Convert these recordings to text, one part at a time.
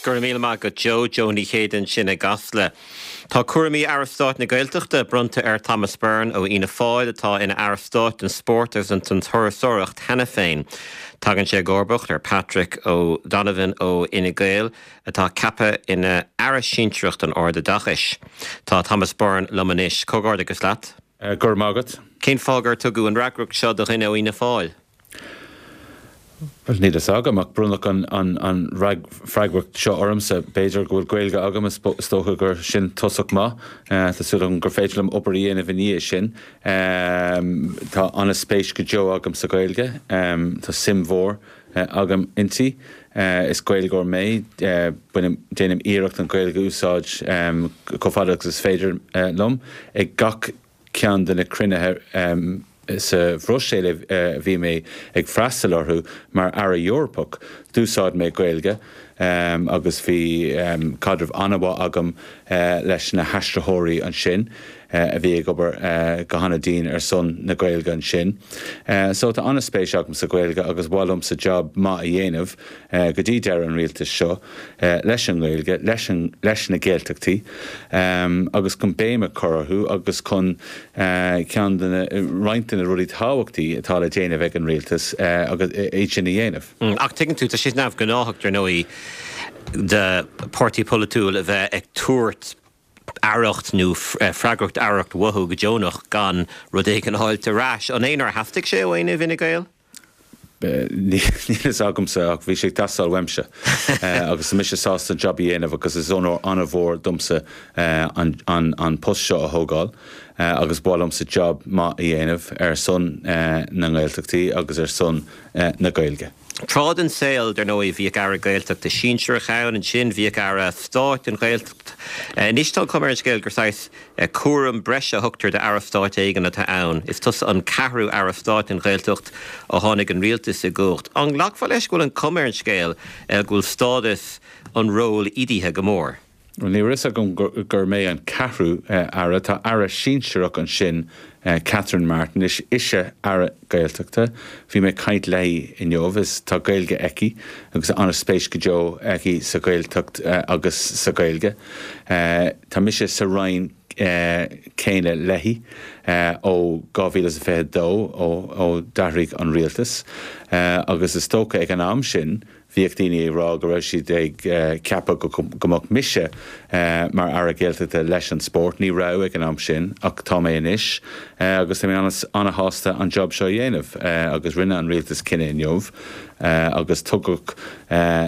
Go raibh míle maith agat Joe, Joe Ní Chéide ansin i gCasla. Tá cúraimí Aire Stáit na Gaeltachta bronnta ar Thomas Byrne ó Fhianna Fáil atá ina Aire Stáit don Spórt agus don Turasóireacht cheana féin. Tagann sé i gcomharbacht ar Patrick O'Donovan ó Fhine Gael atá ceaptha ina Aire Sinsearach don Ardoideachais. Tá Thomas Byrne liom anois. Comhghairdeachas leat. Go raibh maith agat. Cén fáth gur tugadh an fhreagracht seo do dhuine ó Fhianna Fáil? Bhuel, níl a fhios agam, ach bronnadh an freagracht seo ormsa. B'fhéidir go bhfuil Gaeilge agam, is dócha gur sin tosach maith. Tá súil agam gur féidir liom obair a dhéanamh i ndiaidh sin. Tá an-spéis go deo agam sa Ghaeilge. Tá suim mhór agam inti. Is Gaeilgeoir mé. Bainim, déanaim iarracht an Ghaeilge a úsáid chomh fada agus is féidir liom ag gach ceann de na cruinnithe sa Bhruiséil a bhí mé ag freastal orthu mar Aire Eorpach, d'úsáid mé Gaeilge agus bhí caidreamh an-mhaith agam leis na haistritheoirí ansin a bhí ag obair go han-dian ar son na Gaeilge ansin. So tá an-spéis agam sa Ghaeilge agus ba mhaith liomsa jab maith a dhéanamh. go dtí deireadh an rialtais seo leis an nGaeilge, leis an, leis na Gaeltachtaí agus chun béim a chur orthu agus chun ceann de na, roinnt de na rudaí tábhachtaí atá le déanamh ag an rialtas agus iad sin a dhéanamh. Ach tuigeann tú, tá sé neamhghnáthach, dar ndóigh, do pháirtí polaitiúil a bheith ag tabhairt aireacht nó freagracht aireacht uathu go deonach gan rud éigin a fháilt ar ais. An é nár theastaigh sé ó éinne i bhFine Gael? Níl a fhios agamsa ach bhí sé ag teastáil uaimse agus tá mise sásta an jab a dhéanamh agus is onóir an-mhór domsa an post seo a thógáil agus ba mhaith liomsa jab maith a dhéanamh ar son na nGaeltachtaí agus ar son na Gaeilge. Tráth den saol, dar ndóigh, bhíodh Aire Gaeltachta sinsearach ann, ansin bhíodh Aire Stáit don Ghaeltacht. Anois tá an chuma ar an scéal gur saghas cúram breise a thugtar d'Aire Stáit éigin atá ann. Is tusa an ceathrú Aire Stáit don Ghaeltacht ó tháinig an rialtas i gcumhacht. An nglacfá leis go bhfuil an chuma ar an scéal go bhfuil stádas an róil ídithe go mór? Bhuel, ní raibh fhios agam gur mé an ceathrú Aire. Tá Aire sinsearach ansin, Catherine Martin. Is ise Aire Gaeltachta. Bhí mé ag caint léi inniu. Is tá Gaeilge aici agus an-spéis go deo aici sa Ghaeltacht agus sa Ghaeilge. Tá mise sa Roinn céanna léi ó 2022, ó d'athraigh an rialtas, agus is dócha ag an am sin, Bhíodh daoine ag rá go raibh siad ag ceapadh go mbeadh mise mar Aire Gaeltachta leis an spórt. Ní raibh ag an am sin ach tá mé anois agus tá mé an-sásta an job seo a dhéanamh agus rinne an rialtas cinneadh inniu agus tugadh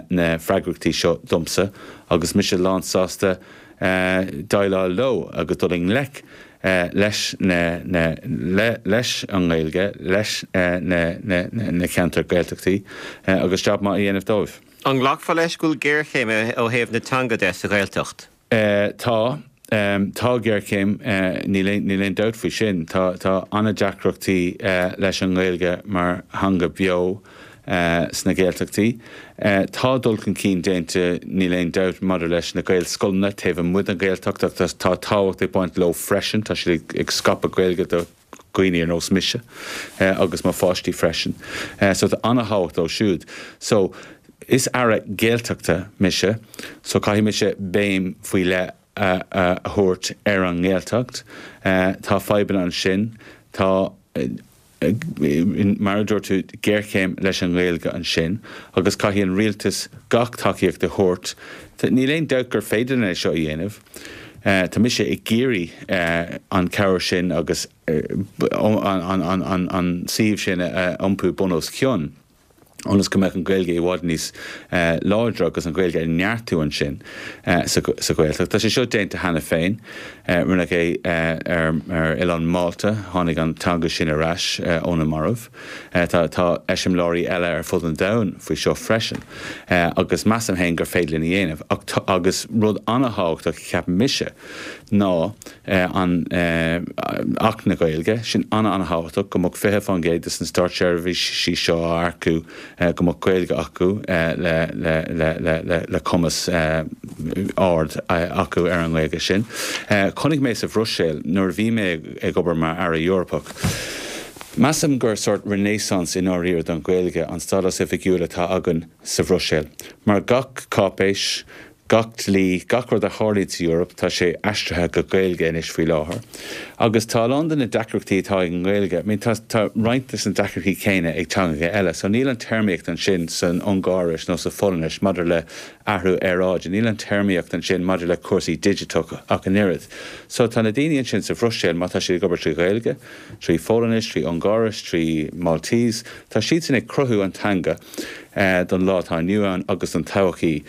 na freagrachtaí seo domsa agus mise lán sásta déileáil leo agus dul i ngleic leis na, leis an nGaeilge, leis na ceantair Gaeltachtaí agus jab maith a dhéanamh dóibh. An nglacfá leis go bhfuil géarchéim ó thaobh na teanga de sa Ghaeltacht? Tá. Tá géarchéim, níl aon dabht faoi sin. Tá an-deacrachtaí leis an nGaeilge mar theanga bheo. sna Gaeltachtaí. Tá dul chun cinn déanta, níl aon dabht, maidir leis na Gaelscoileanna taobh amuigh den Ghaeltacht ach tá tábhacht ag baint leo freisin, tá siad ag scaipeadh Gaeilge do dhaoine ar nós mise agus mo pháistí freisin. So tá an-thábhacht leo siúd. So is Aire Gaeltachta mise so caithfidh mise béim faoi leith a thabhairt ar an nGaeltacht. Tá fadhbanna ansin. Tá. mar a dúirt tú, géarchéim leis an nGaeilge ansin agus caithfidh an rialtas gach tacaíocht a thabhairt. Níl aon dabht gur féidir linn é seo a dhéanamh. Tá mise ag iarraidh an chabhair sin agus an suíomh sin a iompú bun os cionn. ionas go mbeadh an Ghaeilge i bhfad níos láidre agus an Ghaeilge a neartú ansin sa Ghaeltacht. Tá sé seo déanta cheana féin. Rinneadh é ar oileán Málta, tháinig an teanga sin ar ais ó na mairbh. Tá eiseamláirí eile ar fud an domhain faoi seo freisin agus measaim féin gur féidir linn a dhéanamh. Ach agus rud an-thábhachtach a cheapann mise, ná an Acht na Gaeilge, sin an-an-thábhachtach, go mbeadh 20% de na státseirbhísigh seo á earcú go mbeadh Gaeilge acu le cumas ard acu ar an nGaeilge sin. Chonaic mé sa Bhruiséil nuair a bhí mé ag obair mar Aire Eorpach. Measaim gur sórt renaissance i ndáiríre don Ghaeilge an stádas oifigiúil atá againn sa Bhruiséil. Mar gach cáipéis, gach dlí, gach rud a tharlaíonn sa Eoraip, tá sé aistrithe go Gaeilge anois faoi láthair. Agus tá a lán de na deacrachtaí atá ag an nGaeilge, I mean tá tá roinnt de na deacrachtaí céanna ag teangacha eile. So níl an téarmaíocht ansin san Ungáiris nó sa Pholainnis maidir le athrú aeráide, níl an téarmaíocht ansin maidir le cúrsaí digiteach ach an oiread. So tá na daoine ansin sa Bhruiséil, má tá siad ag obair trí Ghaeilge, trí Pholainnis, trí Ungáiris, trí Maltese, tá siadsan ag cruthú an teanga. don lá atá inniu ann agus don todhchaí.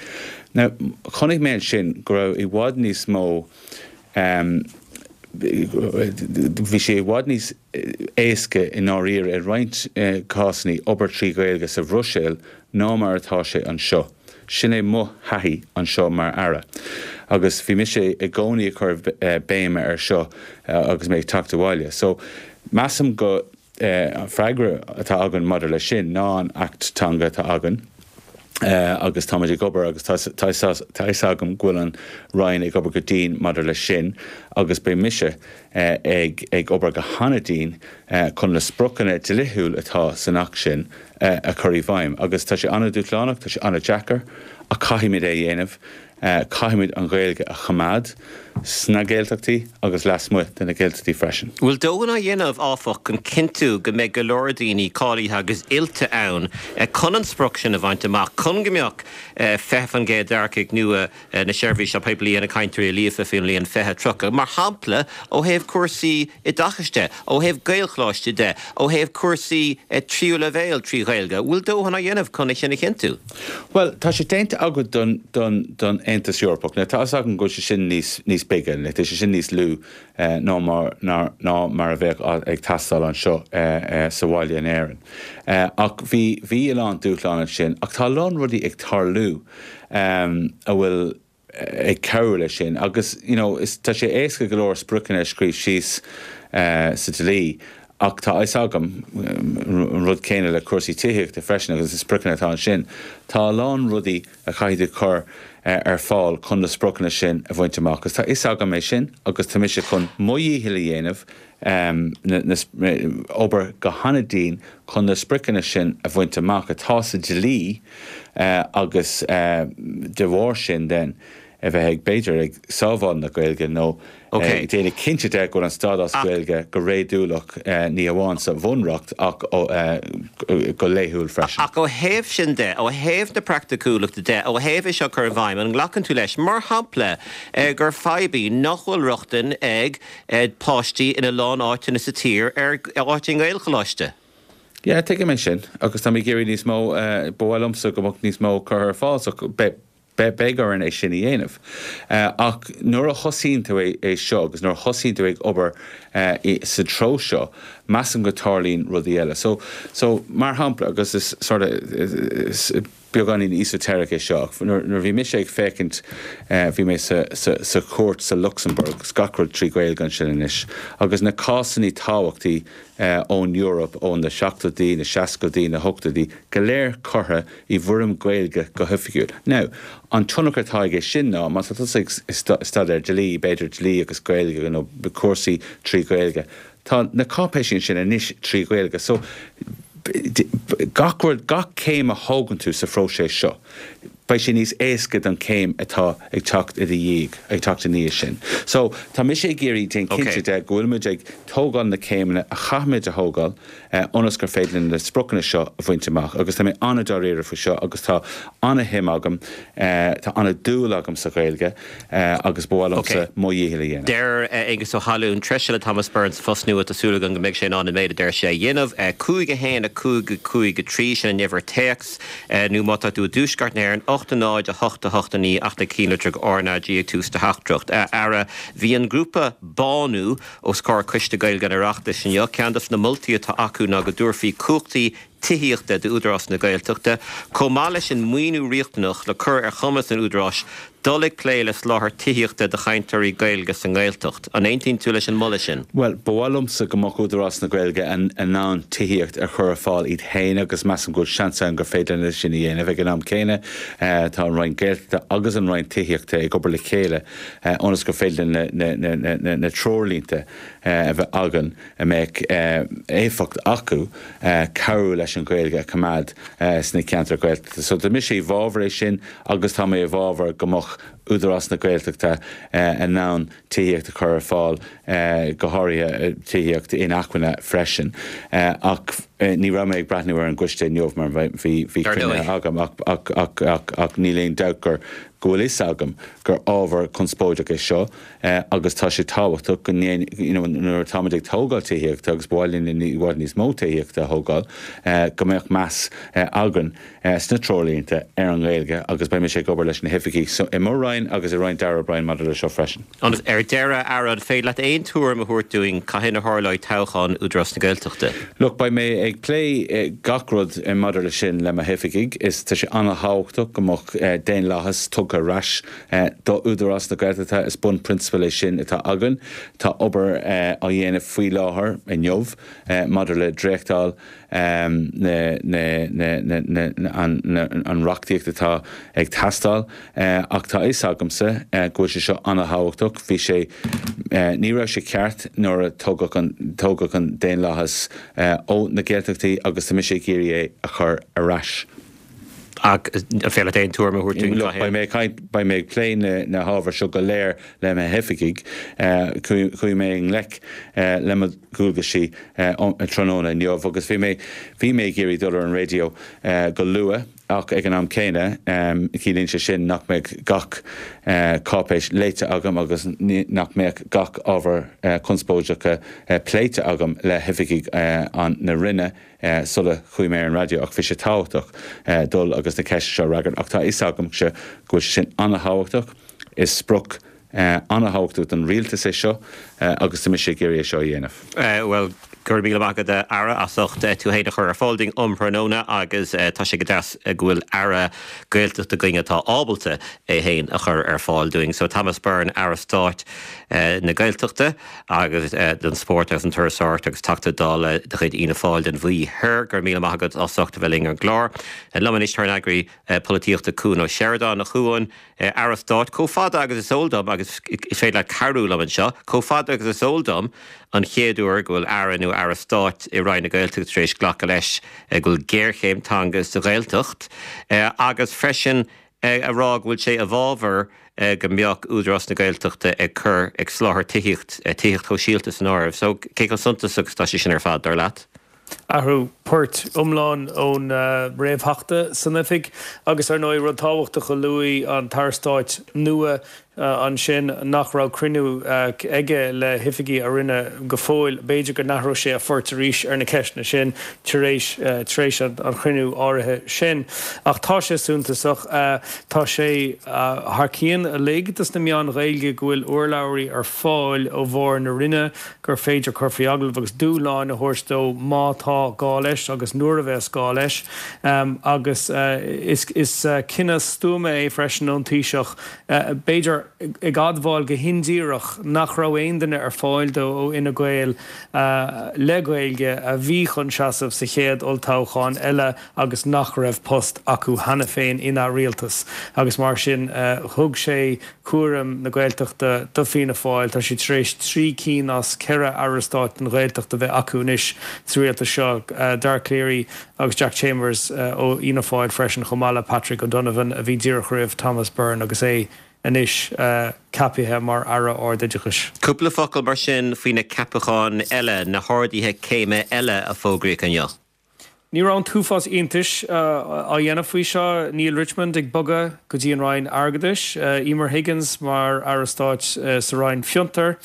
Now, chonaic mé ansin go raibh i bhfad níos mó, bhí sé i bhfad níos éasca i ndáiríre i roinnt cásanna obair trí Ghaeilge sa Bhruiséil ná mar atá sé anseo. Sin é mo thaithí anseo mar Aire. Agus bhí mise i gcónaí ag cur béime ar seo agus mé ag teacht abhaile. So, measaim go. An freagra atá againn maidir leis sin ná an Acht Teanga atá againn agus táimid ag obair agus tá a fhios agam go bhfuil an Roinn ag obair go dian maidir leis sin agus beidh mise ag ag obair go han-dian chun na spriocanna dlíthiúil atá san Acht sin a chur i bhfeidhm agus tá sé an-dúshlánach, tá sé an-deacair ach caithfimid é a dhéanamh. Caithfimid an Ghaeilge a choimeád sna Gaeltachtaí agus lasmuigh de na Gaeltachtaí freisin. Bhfuil dóthain á dhéanamh, áfach, chun cinntiú go mbeidh go leor daoine cáilithe agus oilte ann chun an sprioc sin a bhaint amach, chun go mbeadh 20% d'earcaigh nua na seirbhíse poiblí ina gcainteoirí líofa faoin mbliain 2030, mar shampla, ó thaobh cúrsaí oideachais de, ó thaobh Gaelcholáistí de, ó thaobh cúrsaí tríú leibhéal trí Ghaeilge? Bhfuil dóthain á dhéanamh chun é sin a chinntiú? Bhuel, tá sé déanta againn don, don, don Aontas Eorpach. Now, tá a fhios agam go bhfuil sé sin níos, níos bige, like, tá sé sin níos lú ná mar, ná, ná mar a bheadh ag teastáil anseo sa bhaile in Éirinn. Ach bhí, bhí a lán dúshlán ansin, ach tá a lán rudaí ag tarlú a bhfuil, ag cabhrú leis sin agus you know is tá sé éasca go leor spriocanna a scríobh síos sa dlí ach tá a fhios agam an rud céanna le cúrsaí tithíochta freisin agus na spriocanna atá ansin, tá a lán rudaí a chaithfidh tú cur ar fáil chun na spriocanna sin a bhaint amach agus tá a fhios agam é sin agus tá mise chun mo dhícheall a dhéanamh obair go han-dian chun na spriocanna sin a bhaint amach atá sa dlí agus de bharr sin then a bheith ag, b'fhéidir, ag sábháil na Gaeilge nó ag déanamh cinnte de go bhfuil an stádas Gaeilge go réadúlach ní hamháin sa Bhunreacht ach go laethúil freisin. Ach ó thaobh sin de, ó thaobh na praiticiúlachta de, ó thaobh é seo a chur i bhfeidhm, an nglacann tú leis, mar shampla, gur fadhb í nach bhfuil rochtain ag páistí ina lán áiteanna sa tír ar áit i nGaelcholáiste. Yeah, tuigim é sin agus tá mé ag iarraidh níos mó, ba mhaith liomsa go mbeadh níos mó curtha ar fáil so beidh orainn é sin a dhéanamh. Ach nuair a thosaíonn tú é seo agus nuair a thosaíonn tú ag obair sa treo seo, measaim go tarlaíonn rudaí eile. So, so mar shampla, agus is sort of, is, Beagáinín esoteric é seo ach nuair a bhí mise ag féachaint, bhí mé sa sa chúirt sa Lucsamburg, agus gach rud trí Ghaeilge ansin anois, agus na cásanna tábhachtaí ón Eoraip ó na seachtóidí, na seascaidí, na hochtóidí, go léir curtha i bhfoirm Gaeilge go hoifigiúil. Now, an tionchar atá aige sin ná, má tá tusa ag staidéar dlí, b'fhéidir dlí agus Gaeilge nó cúrsaí trí Ghaeilge, Tá na cáipéisí ansin anois trí Ghaeilge so gach rud, gach céim a thógann tú sa phróiseas seo, beidh sé níos éasca don chéim atá ag teacht i do dhiaidh, ag teacht i ndiaidh sin. So tá mise ag iarraidh déan cinnte de go bhfuil muid ag tógáil na céimeanna a chaithfimid a thógáil ionas gur féidir linn na spriocanna seo a bhaint amach agus tá mé an-dáiríre faoi seo agus tá an-shuim agam, tá an-dúil agam sa Ghaeilge. agus ba mhaith liomsa mo dhícheall a dhéanamh. Deir Aengus Ó hAlmhain, treise le Thomas Byrne sa phost nua, tá súil agam go mbeidh sé in ann an méid a deir sé a dhéanamh. 5 1 5 5 3, sin an uimhir téacs, nó má tá tú i dtuaisceart na hÉireann, 8 0 8 8 9 ach na cinnlitreach RnaG ag tús do theachtaireacht. A Aire, bhí an grúpa Bánú os comhair Coiste Gaeilge an Oireachtais inniu. Ceann dos na moltaí atá acu ná go dtabharfaí cumhachtaí tithíochta d'Údarás na Gaeltachta, chomh maith leis an maoiniú riachtanach le cur ar chumas an Údaráis dul ag plé le soláthar tithíochta do chainteoirí Gaeilge sa nGaeltacht. An aontaíonn tú leis an moladh sin? Bhuel, ba mhaith liomsa go mbeadh Údarás na Gaeilge in ann tithíocht a chur ar fáil iad féin agus measaim go bhfuil seans ann gur féidir linn é sin a dhéanamh. Ag an am céanna, tá an Roinn Gaeltachta agus an Roinn Tithíochta ag obair le chéile ionas gur féidir linn na treoirlínte. a bheith againn a mbeadh éifeacht acu cabhrú leis an Ghaeilge a choimeád sna ceantair Ghaeltachta. So tá mise i bhfabhar é sin agus tá mé i bhfabhar go mbeadh Údarás na Gaeltachta in ann tithíocht a chur ar fáil, go háirithe tithíocht inacmhainne freisin. Ach ní raibh mé ag breathnú ar an gcoiste inniu mar bhí cruinnithe agam ach níl aon dabht gur go bhfuil fhios agam gur ábhar conspóideach é seo agus tá sé tábhachtach go ndéan, you know, nuair atáimid ag tógáil tithíochta agus ba mhaith linn i bhfad níos mó tithíochta a thógáil, go mbeadh meas againn sna treoirlínte ar an nGaeilge agus beidh mise ag obair leis na hoifigigh i mo Roinn agus i Roinn Darragh O'Brien maidir leis seo freisin. Agus ar deireadh, a Aire, an féidir leat aon tuairim a thabhairt dúinn cathain a tharlóidh toghchán Údarás na Gaeltachta? Look, beidh mé ag plé gach rud maidir leis sin le mo hoifigigh. Is tá sé an-thábhachtach go mbeadh daonlathas tugtha ar ais do Údarás na Gaeltachta. Is bunphrionsabal é sin atá againn. Tá obair á dhéanamh faoi láthair, inniu, maidir le dréachtáil an reachtaíocht atá ag teastáil ach tá a fhios agamsa go bhfuil sé seo an-thábhachtach. Bhí sé, ní raibh sé ceart nuair a tógadh an, tógadh an daonlathas ó na Gaeltachtaí agus tá mise ag iarraidh é a chur ar ais. Ach an féidir leat aon tuairim a thabhairt dúinn Look, beidh mé ag caint, beidh mé ag plé na, na hábhair seo go léir le mo hoifigigh. Chuaigh mé i ngleic le mo dhualgaisí tráthnóna inniu agus bhí mé, bhí mé ag iarraidh dul ar an raidió go luath ach ag an am céanna ciallaíonn sé sin nach mbeadh gach cáipéis léite agam agus nach mbeadh gach ábhar conspóideacha pléite agam le hoifigigh an, na Roinne. sula chuaigh mé ar an raidió ach bhí sé tábhachtach dul agus na ceisteanna seo a fhreagairt ach tá a fhios agamsa go bhfuil sé sin an-thábhachtach. Is sprioc an-thábhachtach don rialtas é seo agus tá mise ag iarraidh é seo a dhéanamh. Bhuel, go raibh míle maith agat, a Aire, as ucht tú féin a chur ar fáil dúinn um thráthnóna agus tá sé go deas go bhfuil Aire Gaeltachta againn atá ábalta é féin a chur ar fáil dúinn. So Thomas Byrne, Aire Stáit na Gaeltachta. agus don Spórt agus an Turasóireacht agus Teachta Dála de chuid Fhianna Fáil don Mhí Thoir. Go raibh míle maith agat as ucht a bheith linn ar an gclár. Liom anois tá ár n-eagraí polaitíochta Cuan Ó Seireadáin. A Chuain, Aire Stáit, chomh fada agus is eol dom, agus is féidir leat cabhrú liom anseo, chomh fada agus is eol dom, an chéad uair go bhfuil Aire nó Aire Stáit i Roinn na Gaeltachta tar éis glacadh leis go bhfuil géarchéim teanga sa Ghaeltacht agus freisin a rá go bhfuil sé i bhfabhar go mbeadh Údarás na Gaeltachta ag cur, ag soláthar tithíocht, tithíocht shóisialta san áireamh. So, cé chomh suntasach is atá sé sin ar fad, dar leat? Athrú poirt iomlán ón réamhtheachta san oifig agus, ar ndóigh, rud tábhachtach a luaigh an tAire Stáit nua ansin nach raibh cruinniú aige le hoifigigh a Roinne go fóill. B'fhéidir go n-athróidh sé a phort arís ar na ceisteanna sin tar éis tar éis an chruinniú áirithe sin. Ach tá sé suntasach. Tá sé thar cionn uilig dos na meáin Ghaeilge go bhfuil urlabhraí ar fáil ó bharr na Roinne gur féidir cur faoi agallamh agus dúshláin a thabhairt dó má tá gá leis agus nuair a bheas gá leis. Agus is cinneadh stuama é freisin ón Taoiseach b'fhéidir ag admháil go hindíreach nach raibh aon duine ar fáil dó ó Fhine Gael le Gaeilge a bhí chun seasamh sa chéad olltoghchán eile agus nach raibh post acu cheana féin ina rialtas agus mar sin thug sé cúram na Gaeltachta do Fianna Fáil. Tá siad tar éis 3 cinn as 4 aire stáit don Ghaeltacht a bheith acu anois sa rialtas seo, Dara Calleary Agus Jack Chambers ó Fhianna Fáil freisin, chomh maith le Patrick O'Donovan a bhí díreach roimh Thomas Byrne agus é anois ceaptha mar Aire Ardoideachais. Cúpla focal mar sin faoi na ceapacháin eile, na harduithe céime eile a fógraíodh inniu. Ní raibh an t-uafás iontais á dhéanamh faoi seo. Neale Richmond ag bogadh go dtí an Roinn Airgeadais, Emer Higgins mar Aire Stáit sa Roinn Fiontar.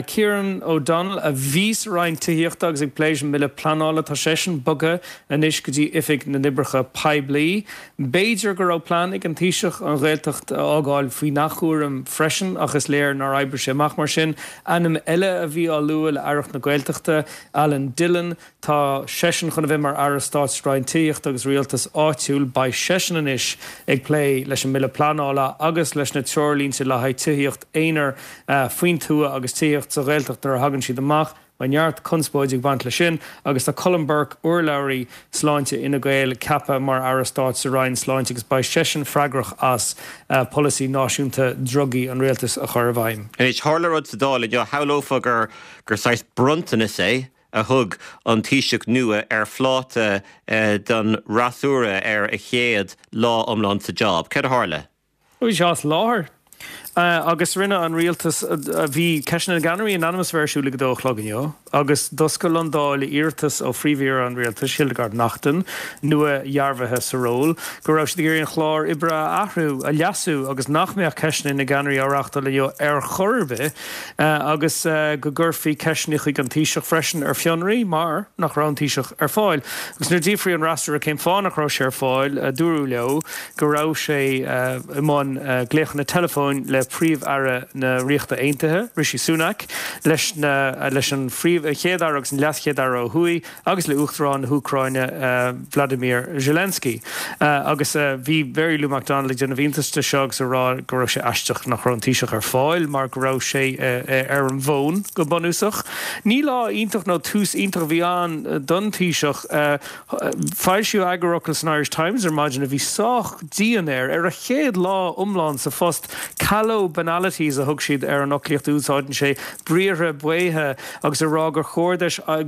Kieran O'Donnell, a bhí sa Roinn Tithíochta agus ag plé leis an mBille Pleanála, tá seisean bogtha anois go dtí Oifig na nOibreacha Poiblí. B'fhéidir go raibh plean ag an Taoiseach an Ghaeltacht a fhágáil faoina chúram freisin ach is léir nár oibrigh sé amach mar sin. Ainm eile a bhí á lua le Aireacht na Gaeltachta, Alan Dillon. Tá seisean chun a bheith mar Aire Stáit sa Roinn Tithíochta agus Rialtais Áitiúil. Beidh seisean anois ag plé leis an mBille Pleanála agus leis na treoirlínte le haghaidh tithíocht aonair faoin tuath agus tithíocht sa Ghaeltacht nuair a thagann siad amach. Beidh neart conspóide ag baint leis sin agus tá Colm Burke, urlabhraí sláinte Fhine Gael, ceaptha mar Aire Stáit sa Roinn Sláinte agus beidh seisean freagrach as polasaí náisiúnta drugaí an rialtais a chur i bhfeidhm. Anois, tharla rud sa Dáil inniu, shamhlófá gur gur saghas bronntanas é a thug an Taoiseach nua ar phláta don fhreasúra ar a chéad lá iomlán sa job. Céard a tharla? Bhí sé as láthair agus rinne an rialtas, bhí Ceisteanna na gCeannairí in ainm is a bheith ar siúl ag a dó a chlog inniu agus d'oscail an Dáil le iarratas ó Phríomh-Aoire an Rialtais, Hildegarde Naughton, nua-dhearbhaithe sa ról, go raibh siad ag iarraidh an clár oibre a athrú, a leasú agus nach mbeadh Ceisteanna na gCeannairí á reáchtáil inniu ar chor ar bith agus go gcuirfí ceisteanna chuig an Taoiseach freisin ar fionraí mar nach raibh an Taoiseach ar fáil. Agus nuair a d'fhiafraigh an fhreasúra cén fáth nach raibh sé ar fáil, dúradh leo go raibh sé i mbun glaochanna teileafóin le Príomh-Aire na Ríochta Aontaithe, Rishi Sunak, leis na leis an Chéad-Aire agus an LeasChéad-Aire ó thuaidh agus le Uachtarán na hÚcráine, Vladimir Zelensky. Agus bhí Mary Lou McDonald ag déanamh iontais de seo agus ag rá go raibh sé aisteach nach raibh an Taoiseach ar fáil mar go raibh sé ar an bhfón go bunúsach. Ní lá iontach nó tús iontach a bhí ann don Taoiseach. Foilsíodh eagarfhocal san Irish Times ar maidin a bhí sách dian air. Ar a chéad lá iomlán sa phost, callow banalities a thug siad ar an fhoclaíocht a úsáideann sé, briathra baotha, agus ag rá gur chóir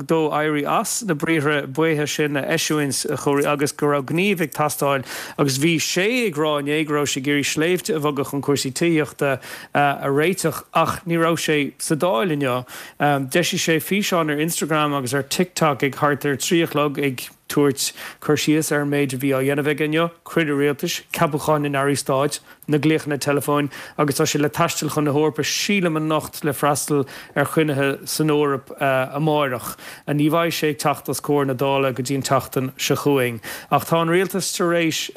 dó éirí as na briathra baotha sin a eisiúint agus go raibh gníomh ag teastáil. Agus bhí sé ag rá inné go raibh sé ag iarraidh sléibhte a bhogadh chun cúrsaí tithíochta a réiteach ach ní raibh sé sa Dáil inniu. D'eisigh sé físeán ar Instagram agus ar TikTok ag thart ar 3 a chlog ag tabhairt cur síos ar an méid a bhí á dhéanamh aige inniu, cruinniú rialtais, ceapúcháin na n-airí stáit, na glaochanna teileafóin agus tá sé le taisteal chun na hEorpa sílim anocht le freastal ar chruinnithe san Eoraip amáireach. Ní bheidh sé ag teacht os comhair na Dála go dtí an tseachtain seo chugainn. Ach tá an rialtas tar éis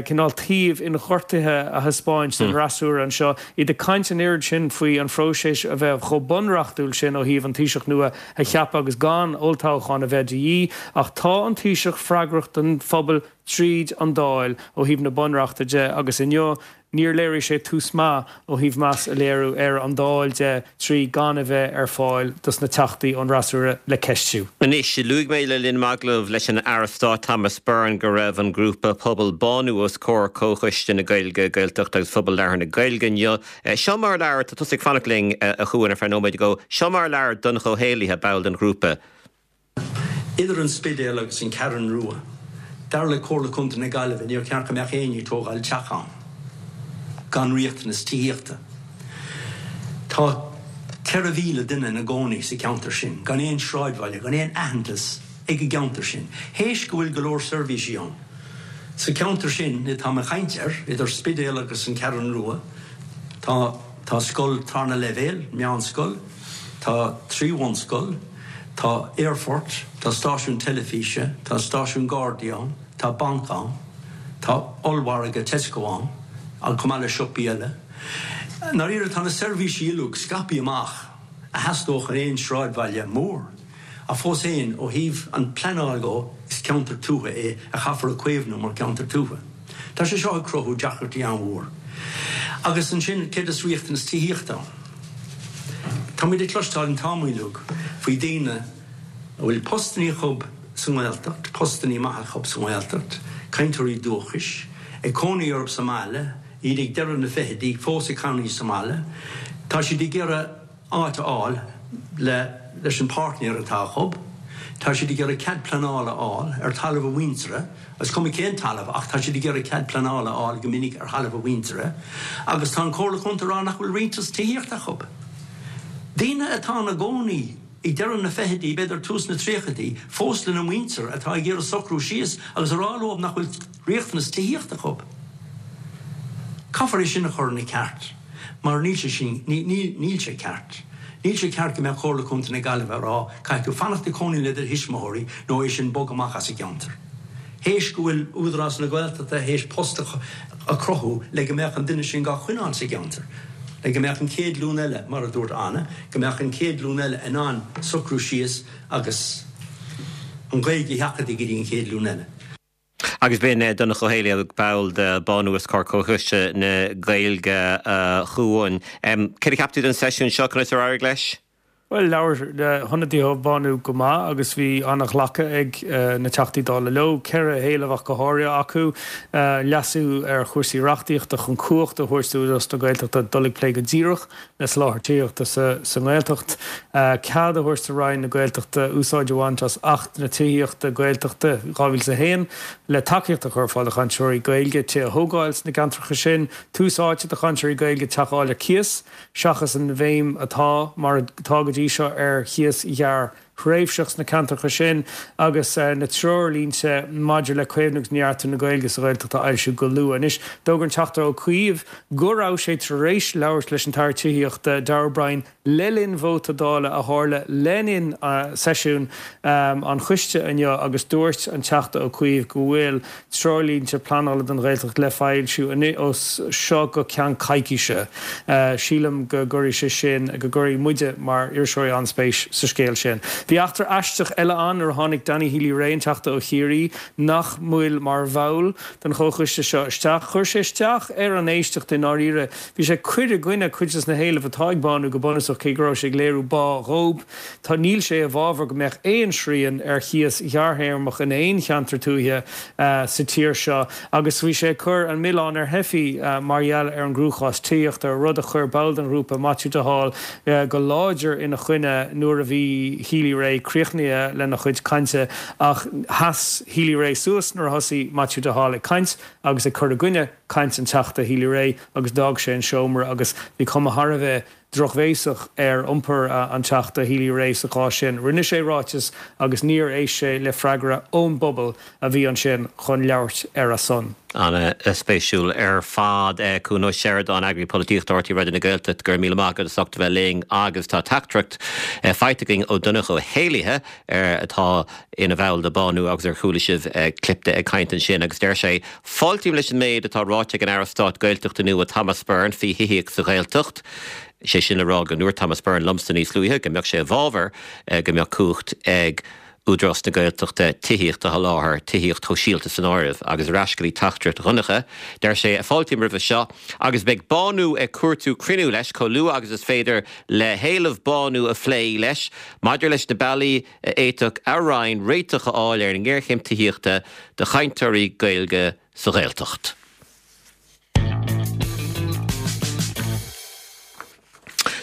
cineál taobh inghortaithe a thaispeáint don fhreasúra anseo, iad ag caint an oiread sin faoi an phróiseas a bheith chomh bunreachtúil sin ó thaobh an Taoiseach nua a cheapadh agus gan olltoghchán a bheith de dhíth, ach tá an Taoiseach freagrach don phobal tríd an Dáil ó thaobh na bunreachta de agus inniu níor léirigh sé tús maith ó thaobh meas a léiriú ar an Dáil de 3 gan a bheith ar fáil dos na Teachtaí ón bhfreasúra le ceistiú. Anois, luaigh mé le linn m'agallaimh leis an Aire Stáit Thomas Byrne go raibh an grúpa pobail Bánú os comhair Comhchoiste na Gaeilge, Gaeltachta agus Phobal Labhartha na Gaeilge inniu. Seo mar a labhair, tá tusa ag fanacht linn, a Chuain, ar feadh nóiméid go, seo mar a labhair Donncha Ó Héalaithe, ball den ghrúpa. Idir an Spidéal agus an Cheathrú Rua, dar le Comhairle Contae na Gaillimhe, níor cheart go mbeadh éinne ag tógáil teach ann gan riachtanas tithíochta. Tá 4,000 duine ina gcónaí sa cheantar sin, gan aon sráidbhaile, gan aon aitheantas ag an gceantar sin, théis go bhfuil go leor seirbhísí ann. Sa cheantar sin atáim ag caint air, idir Spidéal agus an Cheathrú Rua, tá tá scoil tarna leibhéal, meánscoil, Tá 3 bhunscoil, tá aerfort, tá stáisiún teilifíse, tá stáisiún Gardaí ann, tá banc ann, tá ollmhargadh Tesco ann, chomh maith le siopaí eile. I ndáiríre tá na seirbhísí uilig scaipthe amach a theastódh in aon sráidbhaile mór. Ach fós féin, ó thaobh an pleanáil dhó, is ceantar tuaithe é a chaithfear a chaomhnú mar cheantar tuaithe. Tá sé seo ag cruthú deacrachtaí an-mhór. Agus ansin, céard is riachtanas tithíochta ann? Táimid ag cloisteáil an t-am uilig faoi daoine a bhfuil postannaí acu sa nGaeltacht, postannaí maithe acu sa nGaeltacht, cainteoirí dúchais, ag cónaí orthu sa mbaile, iad ag deireadh na fichidí, fós ag cónaí sa mbaile. Tá siad ag iarraidh áit a fháil le leis an páirtnéir atá acu. Tá siad ag iarraidh cead pleanála a fháil ar talamh a mhuintire, is cuma cén talamh ach tá siad ag iarraidh cead pleanála a fháil go minic ar thalamh a mhuintire agus tá an Comhairle Contae ag rá nach bhfuil riachtanas tithíochta acu. Daoine atá ina gcónaí ag deireadh na fichidí, b'fhéidir tús na tríochaidí, fós lena muintir atá ag iarraidh socrú síos agus a rá leo nach bhfuil riachtanas tithíochta acu. Caithfear é sin a chur ina ceart. Mar níl sé sin, níl sé ceart. Níl sé ceart go mbeadh Comhairle Contae na Gaillimhe ag rá, caithfidh tú fanacht ag cónaí le do thuismitheoirí nó é sin bog amach as an gceantar. Théis go bhfuil Údarás na Gaeltachta théis post a chruthú le go mbeadh an duine sin dhá choinneáil sa gceantar, le go mbeadh an chéad ghlúin eile, mar a dúirt Anna, go mbeadh an chéad ghlúin eile in ann socrú síos agus an Ghaeilge a sheachadadh go dtí an chéad ghlúin eile. Agus b'in Donncha Ó Héalaí, ball de Bánú os comhair Comhchoiste na Gaeilge a Chuain. Céard a cheap tú den seisiún seo? Conas ar éirigh leis? Bhuel, labhair na hionadaithe ó Bánú go maith agus bhí an-ghlacadh ag na Teachtaí Dála leo. 4 héileamh ach go háirithe acu, leasú ar chúrsaí reachtaíochta chun cumhacht a thabhairt d'Údarás na Gaeltachta dul ag plé go díreach le soláthar tithíochta sa nGaeltacht, cead a thabhairt do Roinn na Gaeltachta úsáid a bhaint as Acht na Tithíochta Gaeltachta 2001 le tacaíocht a chur ar fáil do chainteoirí Gaeilge tithe a thógáil sna gceantracha sin, tús áite do chainteoirí Gaeilge teach a fháil ar cíos. seachas an bhéim atá, mar atá go dtí seo, ar chíos ghearrthréimhseach sna ceantracha sin, agus na treoirlínte maidir le caomhnú agus neartú na Gaeilge sa Ghaeltacht a fhoilsiú go luath. Anois, d'fhógair an Teachta Ó Cuív go raibh sé tar éis labhairt leis an tAire Tithíochta, Darragh O'Brien, le linn vóta Dála a tharla le linn seisiún an choiste inniu agus dúirt an Teachta Ó Cuív go bhfuil Treoirlínte pleanála don Ghaeltacht le foilsiú as seo go ceann coicíse. Sílim go gcuirfidh sé sin, go gcuirfidh muide mar iriseoirí an-spéis sa scéal sin. Bhí eachtra aisteach eile ann nuair a tháinig Danny Healy-Rae, an Teachta ó Chiarraí, nach bhfuil mar bhall den chomhchoiste seo, isteach. Chuir sé isteach ar an éisteacht i ndáiríre. Bhí sé ag cur i gcoinne cuid des na héilimh atá ag Bánú go bunúsach, cé go raibh sé ag léiriú bá dhób. Tá Níl sé i bhfabhar go mbeadh aon srian ar chíos ghearrthéarmach in aon cheantar tuaithe sa tír seo agus bhí sé ag cur an milleán ar theifigh mar gheall ar an gcruachás tithíochta, rud a chuir ball den ghrúpa, Maitiú de Hál, go láidir ina choinne nuair a bhí Healy-Rae críochnaithe lena chuid cainte. Ach sheas Healy-Rae suas nuair a thosaigh Maitiú de Hál ag caint agus ag cur i gcoinne caint an Teachta Healy-Rae agus d'fhág sé an seomra agus bhí cuma thar a bheith drochbhéasach ar iompar an Teachta Healy-Rae sa chás sin. Rinne sé ráiteas agus níor éist sé le freagra ón bpobal a bhí ansin chun labhairt ar a son. An-spéisiúil ar fad. Cuan Ó Seireadáin, Eagraí Polaitíochta RTÉ Raidió na Gaeltachta, go raibh míle maith agat as ucht a bheith linn agus tá teachtaireacht faighte againn ó Donncha Ó hÉallaithe atá ina bhall de Bánú agus ar chuala sibh clip de ag caint ansin agus deir sé, Fáiltím leis an méid atá ráite ag an Aire Stáit Gaeltachta nua Thomas Byrne faoi thithíocht sa Ghaeltacht, sé sin le rá go ndúirt Thomas Byrne liomsa níos luaithe go mbeadh sé i bhfabhar go mbeadh cumhacht ag Údarás na Gaeltachta tithíocht a sholáthar, tithíocht shóisialta san áireamh. Agus ar ais go dtí teachtaireacht Dhonncha, deir sé, Fáiltím roimhe seo agus beidh Bánú ag cuartú cruinniú leis chomh luath agus is féidir le héilimh Bánú a phlé leis maidir leis na bealaí a fhéadfadh a Roinn réiteach a fháil ar an ngéarchéim tithíochta do chainteoirí Gaeilge sa Ghaeltacht.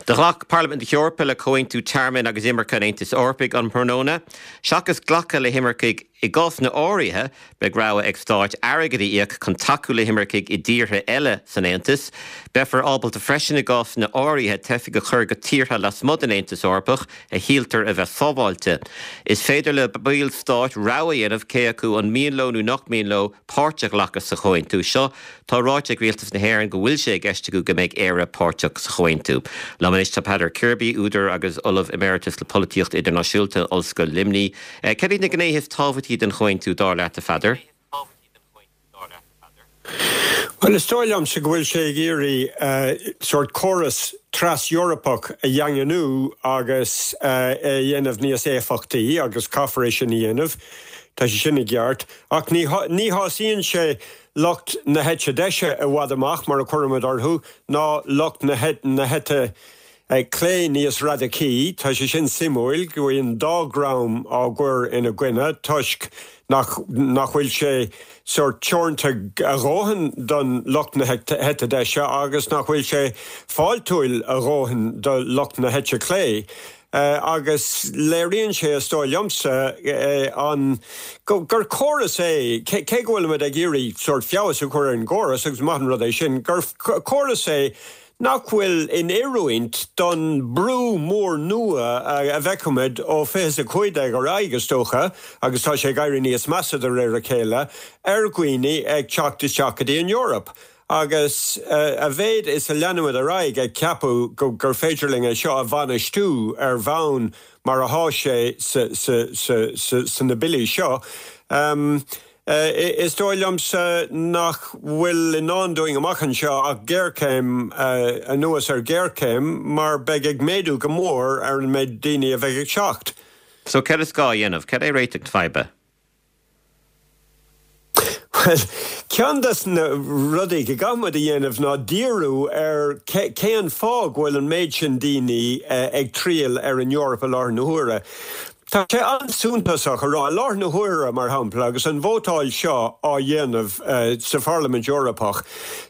Do ghlac Parlaimint na hEorpa le Comhaontú Tearmainn agus Imirce an Aontais Eorpaigh um thráthnóna. Seachas glacadh le himircigh i gcásanna áirithe, beidh rogha ag stáit airgead a íoc chun tacú le himircigh i dtíortha eile san Aontas. Beifear ábalta freisin i gcásanna áirithe teifigh a chur go tíortha lasmuigh den Aontas Eorpach a shíltear a bheith sábháilte. Is féidir le baill stáit rogha a dhéanamh cé acu an mian leo nó nach mian leo páirt a ghlacadh sa chomhaontú seo. Tá ráite ag Rialtas na hÉireann go bhfuil sé i gceist acu go mbeidh Éire páirteach sa chomhaontú. Liom anois tá Peadar Kirby, údar agus Ollamh Emeritus le Polaitíocht Idirnáisiúnta in Ollscoil Luimnigh. Cad iad na gnéithe is tábhachtaí den chomhaontú, dar leat, a Pheadair? Bhuel, is dóigh liomsa go bhfuil sé ag iarraidh sórt córas tras-Eorpach a dhaingniú agus é a dhéanamh níos éifeachtaí agus caithfear é sin a dhéanamh, tá sé sin i gceart. Ach ní ní shásaíonn sé lucht na heite deise i bhfad amach, mar a chuirimid orthu, ná lucht na heite clé níos radacaí. Tá sé sin suimiúil, go bhfuil an dá dhream á gcur ina gcoinne toisc nach nach bhfuil sé sórt teoranta a dhóthain don lucht na heite deise agus nach bhfuil sé fáiltiúil a dhóthain do lucht na heite clé. Agus léiríonn sé, is dóigh liomsa, an gur córas é, cé go bhfuilimid ag iarraidh sórt feabhas a chur ar an gcóras, agus maith an rud é sin, gur córas é nach bhfuil in oiriúint don brú mór nua a bhfeicfimid ó 2015 ar aghaidh, is dócha, agus tá sé ag éirí níos measa de réir a chéile, ar dhaoine ag teacht isteach go dtí an Eoraip. Agus a mhéid is a leanaimid ar aghaidh ag ceapadh gur féidir linn é seo a bhainistiú ar bhonn mar atá sé sna billí seo, Is dóigh liomsa nach bhfuil i ndán dúinn amach anseo ach géarchéim anuas ar ghéarchéim mar beidh ag méadú go mór ar an méid daoine a bheidh ag teacht. So céard is gá a dhéanamh? Cad é réiteach na faidhbe? Bhuel, ceann des na rudaí go gcaithfidh muid a dhéanamh ná díriú ar cén fáth go bhfuil an méid sin daoine ag triall ar an Eoraip i láthair na huaire. Tá sé an-suntasach a rá, i láthair na huaire, mar shampla, agus an vótáil seo á dhéanamh sa Pharlaimint Eorpach,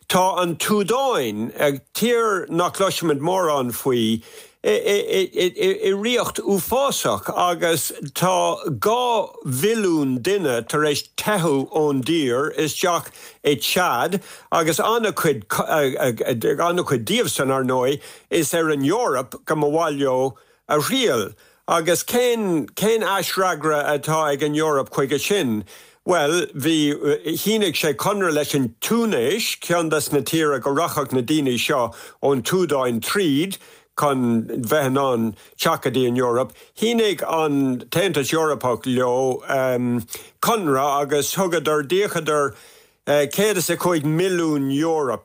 tá an tSúdáin, tír nach gcloisimid mórán faoi, i riocht uafásach agus tá 2 mhilliún duine tar éis teitheadh ón dtír isteach i Chad agus an-chuid an-chuid díobhsan, ar ndóigh, is ar an Eoraip go mba mhaith leo a thriall. Agus cén cén aisfhreagra atá ag an Eoraip chuige sin? Bhuel, bhí, shínigh sé conradh leis an Túinéis, ceann des na tíortha go rachadh na daoine seo ón tSúdáin tríd chun bheith in ann teacht go dtí an Eoraip. Shínigh an tAontas Eorpach leo conradh agus thugadar, d'íocadar €105 milliún euro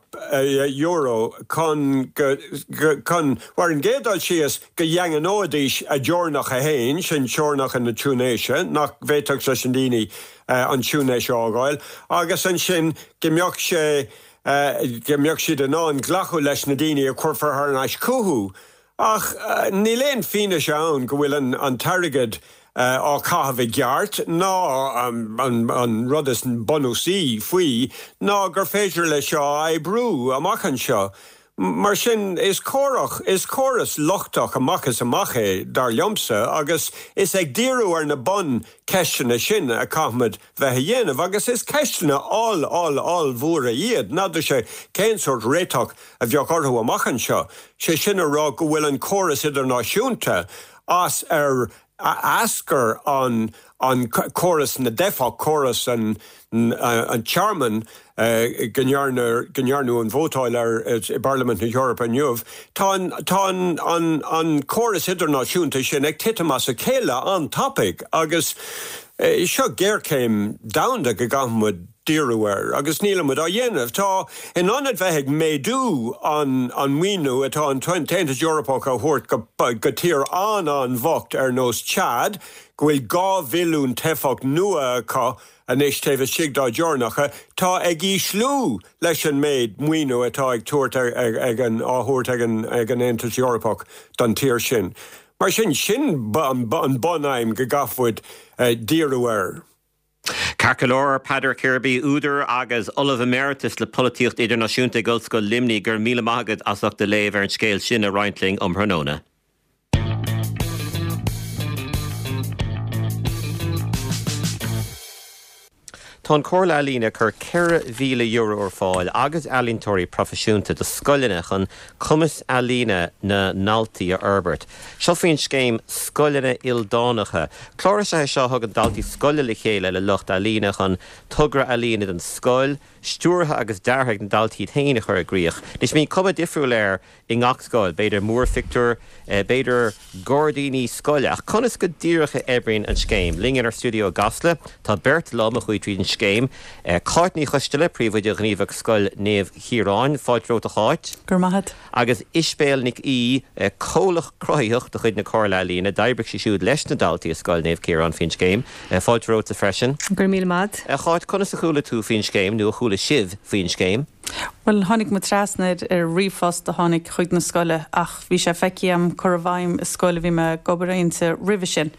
chun go, chun, ar an gcéad dul síos, go ndaingneoidís a dteorainneacha féin, sin teorainneacha na Túinéise, nach bhféadfadh leis na daoine an Túinéis a fhágáil, agus ansin go mbeadh sé, go mbeadh siad in ann glacadh leis na daoine a chuirfear thar n-ais chucu. Ach níl aon fianaise ann go bhfuil an t-airgead á chaitheamh i gceart, ná an rud is bunúsaí faoi ná gur féidir leis seo a oibriú amach anseo. Mar sin, is is córas lochtach amach is amach é, dar liomsa, agus is ag díriú ar na buncheisteanna sin a chaithfimid bheith a dhéanamh, agus is ceisteanna oll-oll-ollmhóra iad, n'fheadarsa cén sórt réiteach a bheadh orthu amach anseo, sé sin a rá go bhfuil an córas idirnáisiúnta as ar eascair an an córas na dteifeach, córas an an tearmainn go ndearna go ndearnadh an vótáil air i bParlaimint na hEorpa inniu. Tá an tá an an an córas idirnáisiúnta sin ag titim as a chéile an-tapaidh agus seo géarchéim domhanda go gcaithfidh muid díriú air agus nílimid á dhéanamh. Tá, in ionad bheith ag méadú an an maoiniú atá an tAontas Eorpach a thabhairt go go tír an-an-bhocht ar nós Chad, go bhfuil 2 mhilliún teifeach nua acu anois taobh istigh dá dteorainneacha, tá ag ísliú leis an méid maoiniú atá ag tabhairt ag an á thabhairt ag an ag an Aontas Eorpach don tír sin. Mar sin, sin an bun-aidhm go gcaithfimid díriú air. Ceart go leor, Peadar Kirby, údar agus Ollamh Emeritus le Polaitíocht Idirnáisiúnta ag Ollscoil Luimnigh, go raibh míle maith agat as ucht do léamh ar an scéal sin a roinnt linn um thráthnóna. Tá an Chomhairle Ealaíon ag cur €4,000 ar fáil agus ealaíontóirí proifisiúnta do scoileanna chun cumas ealaíne na ndaltaí a fhorbairt. Seo faoin scéim Scoileanna Ildánacha. Clár is ea é seo a thugann daltaí scoile le chéile le lucht ealaíne chun togra ealaíne don scoil, stiúrtha agus deartha ag na daltaí iad féin, a chur i gcrích. Anois bíonn cuma difriúil air i ngach scoil, b'fhéidir múrphictiúr, b'fhéidir gairdíní scoile. Ach conas go díreach a oibríonn an scéim? Linn inár stiúideo i gCasla tá beirt liom a chuaigh tríd an scéim, Cáit Ní Choisteala, Príomhoide Ghníomhach Scoil Naomh Chiaráin. Fáilte romhat a Cháit. Go raibh maith agat. Agus Isibéal Nic Aoidh, Comhlach Cruthaitheach de chuid na Comhairle Ealaíne. D'oibrigh sí siúd leis na daltaí i Scoil Naomh Ciarán faoin scéim. Fáilte romhatsa freisin. Go raibh míle maith agat. A Cháit, conas a chuala tú faoin scéim, nó a chuala sibh faoin scéim? Bhuel, tháinig muid trasna air ar ríomhphost a tháinig chuig na scoile ach bhí sé feicthe agam curtha i bhfeidhm i scoil a bhí mé ag obair inti roimhe sin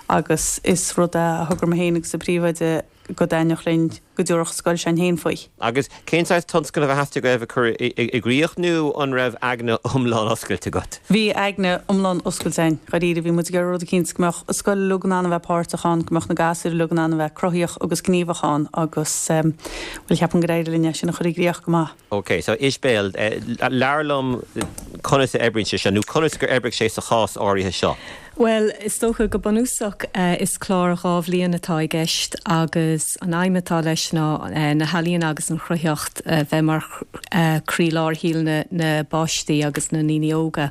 agus is rud é a thogair mé féin agus an príomhoide go dtaitneodh linn go dtabharfadh an scoil s'againn féin faoi. Agus cén saghas tionscnamh a theastaigh uaibh a chur i gcrích nó an raibh aigne iomlán oscailte agat? Bhí aigne iomlán oscailte againn, dháiríre. Bhí muid ag iarraidh rud eicínt go mbeadh an scoil uilig in ann a bheith páirteach ann, go mbeadh na gasúir uilig in ann a bheith cruthaíoch agus gníomhach ann agus, bhuel, ceapaim gur éirigh linn é sin a chur i gcrích go maith. Ok, so Isibéal, labhair liom conas a oibríonn sé seo, nó conas gur oibrigh sé sa chás áirithe seo? Bhuel, is dócha, go bunúsach, is clár 2 bhliain atá i gceist agus an aidhm atá leis ná na healaíona agus an chruthaitheacht a bheith mar chroílár shaol na bpáistí agus na ndaoine óga.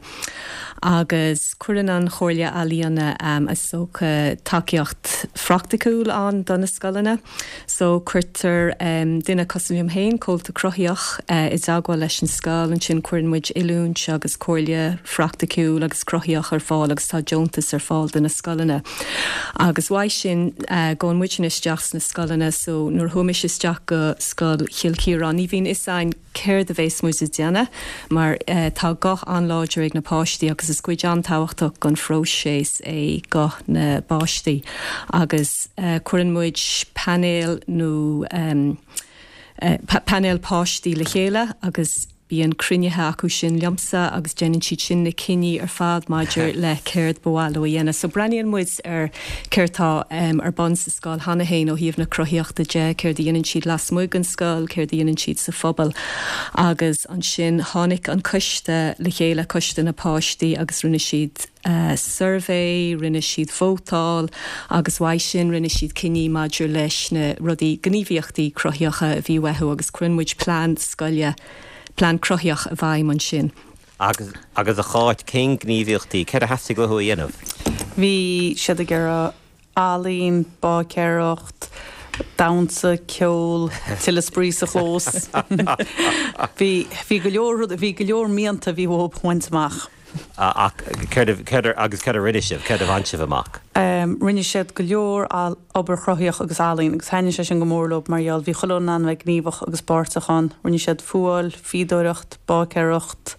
Agus cuireann an Chomhairle Ealaíona is dócha tacaíocht phraiticiúil ann do na scoileanna. So cuirtear duine cosúil liom féin, Comhalta Cruthaitheach, i dteagmháil leis an scoil, ansin cuireann muid oiliúint agus comhairle phraiticiúil agus cruthaitheach ar fáil agus tá deontas ar fáil do na scoileanna. Agus uaidh sin gabhann muidne isteach sna scoileanna so nuair a chuaigh mise isteach go Scoil Chill Chiaráin ní bhíonn fhios a'inn céard a bhéas muid ag déanamh mar tá guth an-láidir ag na páistí agus is cuid an-tábhachtach den phróiseas é guth na bpáistí agus cuireann muid painéal nó painéal páistí le chéile agus Bíonn cruinnithe acu sin liomsa agus déanann siad sin na cinní ar fad maidir le céard ba mhaith leo a dhéanamh. So breathnaíonn muid ar céard tá ar bun sa scoil cheana féin ó thaobh na cruthaíochta de, céard a dhéanann siad lasmuigh den scoil, céard a dhéanann siad sa phobal. Agus ansin tháinig an coiste le chéile, coiste na páistí agus rinne siad, suirbhé, rinne siad vótáil agus uaidh sin rinne siad cinní maidir leis na rudaí, gníomhaíochtaí cruthaitheacha a bhí uathu agus cuireann muid plean scoile, plean cruthaitheach i bhfeidhm ansin. Agus, agus a Cháit, cén gníomhaíochtaí, céard a theastaigh uathu a dhéanamh? Bhí siad ag iarraidh ealaín, báicéireacht, damhsa, ceol, tuilleadh spraoi sa chlós. Bhí, bhí go leor rud, bhí go leor mianta a bhí uathu a bhaint amach. Ach céard, céard, agus céard a rinne sibh, céard a bhain sibh amach? Rinne siad go leor obair chruthaitheach agus ealaín agus thaitnigh sé sin go mór leo mar gheall bhí chuile dhuine in ann a bheith gníomhach agus páirteach ann. Rinne siad fuáil, fíodóireacht, báicéireacht,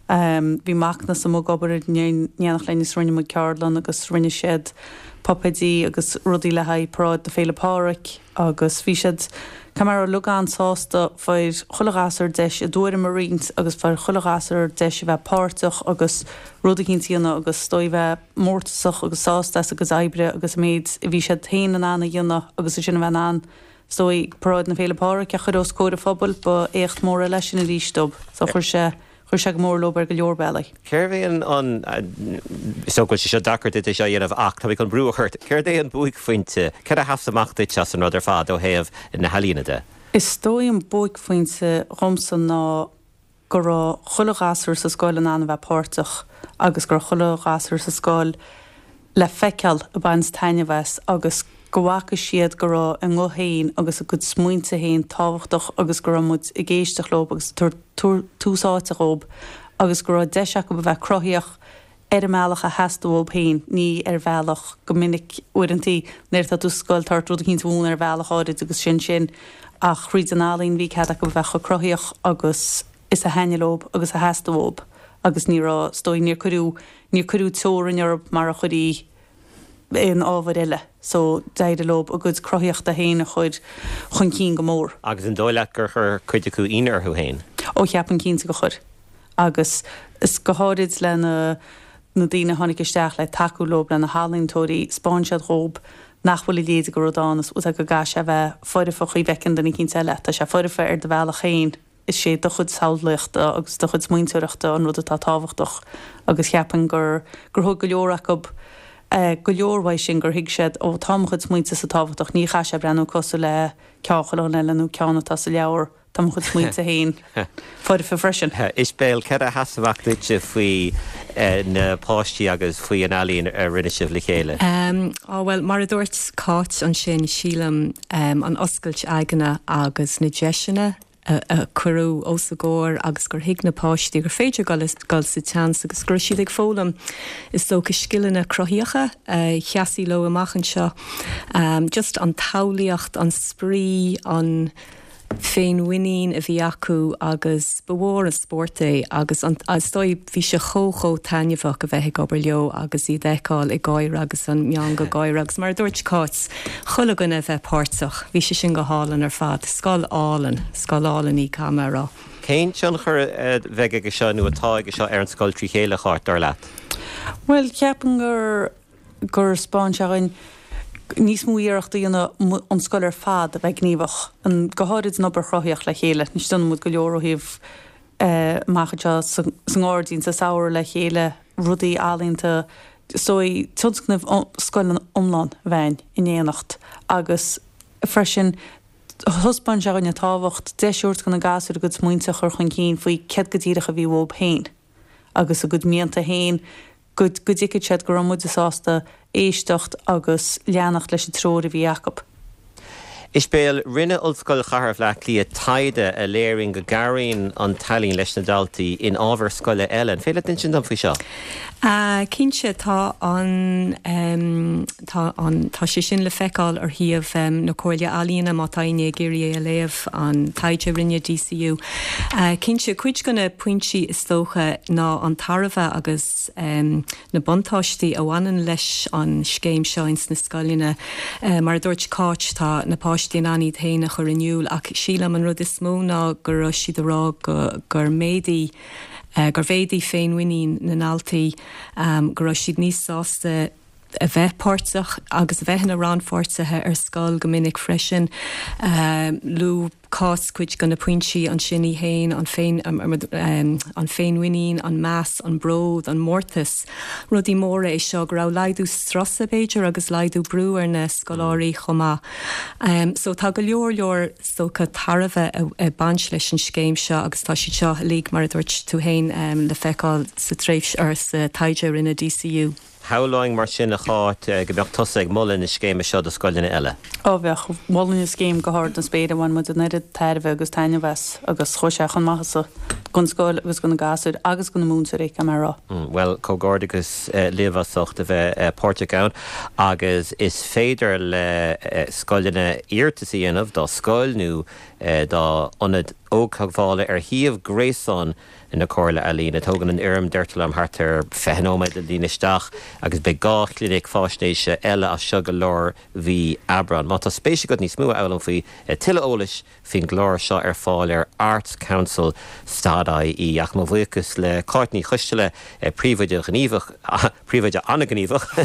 bhí Macnas amuigh ag obair in éineacht linn agus rinne muid ceardlann agus rinne siad puipéidí agus rudaí le haghaidh paráid do Féile Pádraig agus bhí siad, caithfidh mé a rá, uilig an-sásta, fuair chuile ghasúr deis a dtuairim a roinnt agus fuair chuile ghasúr deis a bheith páirteach agus rud eicínt a dhéanamh agus is dóigh bheith mórtasach agus sásta as a gcuid oibre agus an méid a bhí siad féin in ann a dhéanamh agus ansin a bheith in ann is dóigh paráid na Féile Pádraig a chur os comhair an phobail, ba éacht mór eile é sin arís dóibh. So chuir sé. Chuir sé go mór leo ar go leor bealaí. Cérbh é an, is dócha go bhfuil sé seo deacair duit é seo a dhéanamh ach tá mé chun brú a chur ort, céard é an buaicphointe, céard a sheas amach duit as an rud ar fad ó thaobh na healaíona de? Is dóigh an buaicphointe dhomsa ná go raibh chuile ghasúr sa scoil in ann a bheith páirteach agus go raibh chuile ghasúr sa scoil le feiceáil ag baint taitneamh as agus go bhfaca siad go raibh a nguth féin agus a gcuid smaointe féin tábhachtach agus go raibh muid ag éisteacht leo agus ag tabhairt tús áite dhóibh agus go raibh deis acu a bheith cruthaíoch ar an mbealach a theastaigh uathu féin, ní ar bhealach, go minic uaireantaí nuair atá tú sa scoil tá ort rud eicínt a mhúineadh ar bhealach áirid agus sin sin ach thríd an ealaín bhí cead acu a bheith chomh cruthaíoch agus is a thaitnigh leo agus a theastaigh uathu agus ní raibh, is dóigh, níor cuireadh Níor cuireadh teorainn orthu mar a chuirfí aon ábhar eile so d'éirigh leo a gcuid cruthaíochta féin a chur chun cinn go mór. Agus an dóigh leat gur chuir cuid acu ionadh orthu féin? Ó cheapaim cinnte gur chuir. Agus is go háirid le na na daoine a tháinig isteach le tacú leo, le na healaíontóirí, 'spáin siad dhób nach bhfuil a leithéid de rud ann is go gcaithfidh sé a bheith foirfe chaoi a bhfeiceann duine eicínt eile. Tá sé foirfe ar do bhealach féin. Is é do chuid samhlaíochta agus do chuid smaointeoireachta an rud atá tábhachtach agus cheapfainn gur gur thug go leor acu go leor uaidh sin, gur thuig siad, ó tá mo chuid smaointe-sa tábhachtach, ní chaithfidh sé breathnú cosúil le ceann chuile dhuine eile nó ceann atá sa leabhar, tá mo chuid smaointe féin foirfe freisin. Isibéal, céard a sheas amach duitse faoi na páistí agus faoi an ealaín a rinne sibh le chéile? Á bhuel, mar a dúirt Cáit ansin, sílim an oscailt aigne agus na deiseanna a cuireadh os a gcomhair agus gur thuig na páistí gur féidir dul dul sa tseans agus go raibh siad ag foghlaim is dócha scileanna cruthaíocha a sheasfaidh leo amach anseo. Just an tsamhlaíocht, an spraoi, an féinmhuinín a bhí acu agus ba mhór an spórt é agus an is dóigh bhí sé chomh chomh taitneamhach a bheith ag obair leo agus iad a fheiceáil ag gáire agus an meangadh gáire agus mar a dúirt Cáit, chuile dhuine a bheith páirteach. Bhí sé sin go hálainn ar fad. Scoil álainn, scoil álainn í, caithfidh mé a rá. Cén tionchar a bheidh aige seo nó atá aige seo ar an scoil trí chéile, a Cháit, dar leat? Bhuel, ceapaim gur gur 'spáin sé dhúinn níos mó iarracht a dhéanamh an scoil ar fad a bheith gníomhach, go háirid an obair chruthaitheach le chéile. Anois déanann muid go leor ó thaobh amach anseo sa ngairdín sa samhradh le chéile, rudaí ealaíonta, is dóigh tionscnamh scoile iomlán a bheith againn in éineacht agus freisin thaispeáin sé dhúinn an tábhacht deis a thabhairt do na gasúir a gcuid smaointe a chur chun cinn faoi céard go díreach a bhí uathu féin agus a gcuid mianta féin. go dtuigfeadh siad go raibh muide sásta éisteacht agus leanacht leis an treoir a bhí acu. Isibéal, rinne Ollscoil Chathair Bhaile Átha Cliath taighde a léiríonn go gcabhraíonn an t-ealaín leis na daltaí in ábhair scoile eile. An féidir leat insint dom faoi seo? Cinnte, tá an, tá an, tá sé sin le feiceáil ar shuíomh na Comhairle Ealaíona má tá éinne ag iarraidh é a léamh, an taighde a rinne DCU. Cinnte, cuid de na pointí is dócha ná an tairbhe agus na buntáistí a bhaineann leis an scéim seo ins na scoileanna. Mar a dúirt Cáit, tá na páistí in ann iad féin a chur in iúl ach sílim an rud is mó ná go raibh siad a rá go gur méadaigh gur mhéadaigh féinmhuinín na ndaltaí, go raibh siad níos sásta a bheith páirteach agus a bheith ina rannpháirtithe ar scoil go minic freisin. Luaigh Cáit cuid de na pointí ansin í féin, an féin, an féinmhuinín, an meas, an bród, an mórtas. Rudaí móra é seo, go raibh laghdú strusa b'fhéidir agus laghdú brú ar na scoláirí chomh maith. So tá go leor leor is dócha tairbhe ag baint leis an scéim seo agus tá siad seo uilig mar a dúirt tú féin le feiceáil sa tréimhse or sa taighde a rinne DCU. Shamhlóinn mar sin, a Cháit, go mbeadh tusa ag moladh na scéime seo do scoileanna eile. Ó bheadh. Mholfainn an scéim go hard na spéire. Bhain muid an oiread tairbhe agus taitneamh as agus chuaigh sé chun maitheasa don scoil agus do na gasúir agus do na múinteoirí, caithfidh mé a rá. Bhuel, comhghairdeachas libh as ucht a bheith páirteach ann agus is féidir le scoileanna iarratas a dhéanamh dá scoil nó dá ionad ógtheagmhála ar shuíomh gréasáin na Comhairle Ealaíon. Tógann an fhoirm, deirtear liom, thart ar 20 nóiméad le líonadh isteach agus beidh 2 chlinic fáisnéise eile as seo go lár mhí Aibreáin. Má tá spéis agat níos mó a fhoghlaim faoi, tuilleadh eolais faoin gclár seo ar fáil ar artscouncil dot ie. Ach mo bhuíochas le Cáit Ní Choisteala, príomhoide ghníomhach, príomhoide an-ghníomhach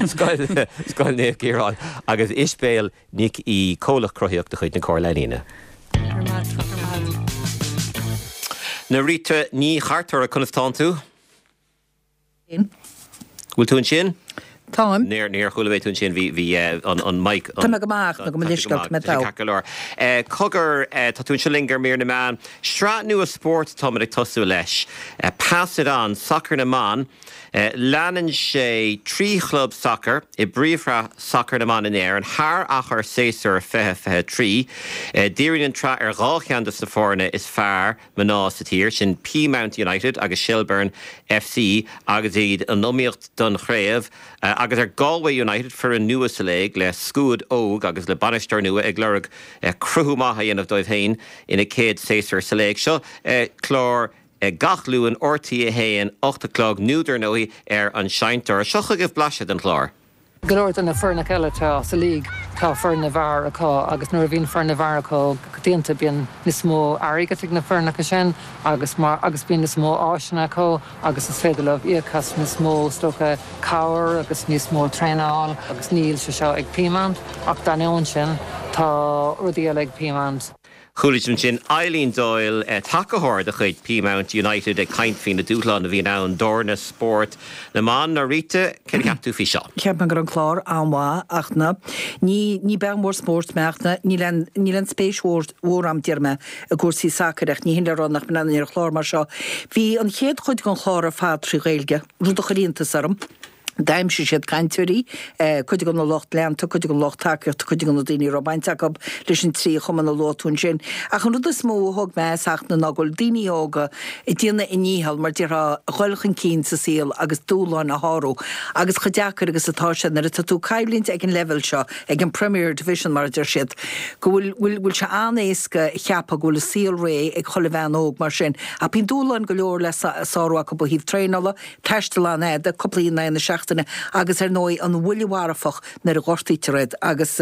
Scoil Naomh Ciarán agus Isibéal Nic Aoidh, Comhlach Cruthaíoch de chuid na Comhairle Ealaíne. Norita Ní Chartúir, conas tánn tú? Bhfuil tú ansin? Táim. Níor, níor chuala mé tú ansin, bhí, bhí an mic. Tá mé go maith ach nó go mo leithscéal, tá mé togha. Ceart go leor. Cogar, tá tú anseo linn ar Mír na Meán. Sraith nua spóirt atáimid ag tosú leis. Pass It On, Sacar na mBan. Leanann sé 3 chlub sacair i bPríomhshraith Sacair na mBan in Éirinn thar achar séasúr 2023. Díríonn an tsraith ar 2 cheann de na foirne is fearr mná sa tír, sin Peamount United agus Shelbourne FC agus iad in iomaíocht don chraobh, agus ar Galway United, foireann nua sa léig le scuad óg agus le bainisteoir nua ag lorg cruthú maith a dhéanamh dóibh féin ina céad séasúr sa léig. Seo clár Gach Luan, RTÉ 1, 8 a chlog, nó dar ndóigh ar an seinnteoir. Seo chugaibh blaiseadh den chlár. Go leor de na foirneacha eile atá sa league tá foireann na bhfear acu agus nuair a bhíonn foireann na bhfear acu go coitianta bíonn níos mó airgead ag na foirneacha sin agus mar agus bíonn níos mó áiseanna acu agus is féidir leo íoc as níos mó is dócha cabhair agus níos mó traenáil agus níl sé seo ag Peamount ach d'ainneoin sin tá rudaí eile ag Peamount. Chuala sibh ansin Eileen Doyle, tacaitheoir de chuid Peamount United ag caint faoi na dúshláin a bhíonn ann d'fhoirne spóirt na mban. Norita, céard a cheap tú faoi seo? Cheap mé go raibh an clár an-mhaith ach na, ní, ní bean mhór spóirt mé ach na, níl aon, níl aon spéis mhór, mhór a'm déarfaidh mé i gcúrsaí sacair ach ní hin le rá nach mbreathnóinn ar chlár mar seo. Bhí an chéad chuid den chlár ar fad trí Ghaeilge, rud a chuir iontas orm. D'aimsigh siad cainteoirí, cuid de na lucht leanta, cuid den lucht tacaíochta, cuid de na daoine a raibh baint acu leis an trí chumann a luaigh tú ansin. Ach an rud is mó a thóg mé as Fhachtna ná go bhfuil daoine óga ag déanamh a ndícheall, mar déarfá, a dhul chun cinn sa saol agus dúshláin a shárú. Agus chomh deacair agus atá sé nuair atá tú ag coimhlint ag an leibhéal seo, ag an Premier Division mar a deir siad, go bhfuil, bhfuil, bhfuil sé an-éasca a cheapadh go bhfuil an saol réidh ag chuile bhean óg mar sin. Ach bíonn dúshláin go leor le sárú acu ó thaobh traenála, Taisteal an-fhada, cúpla oíche in aghaidh na seachtaine agus ar ndóigh an bhuille mharfach nuair a ghortaítear iad agus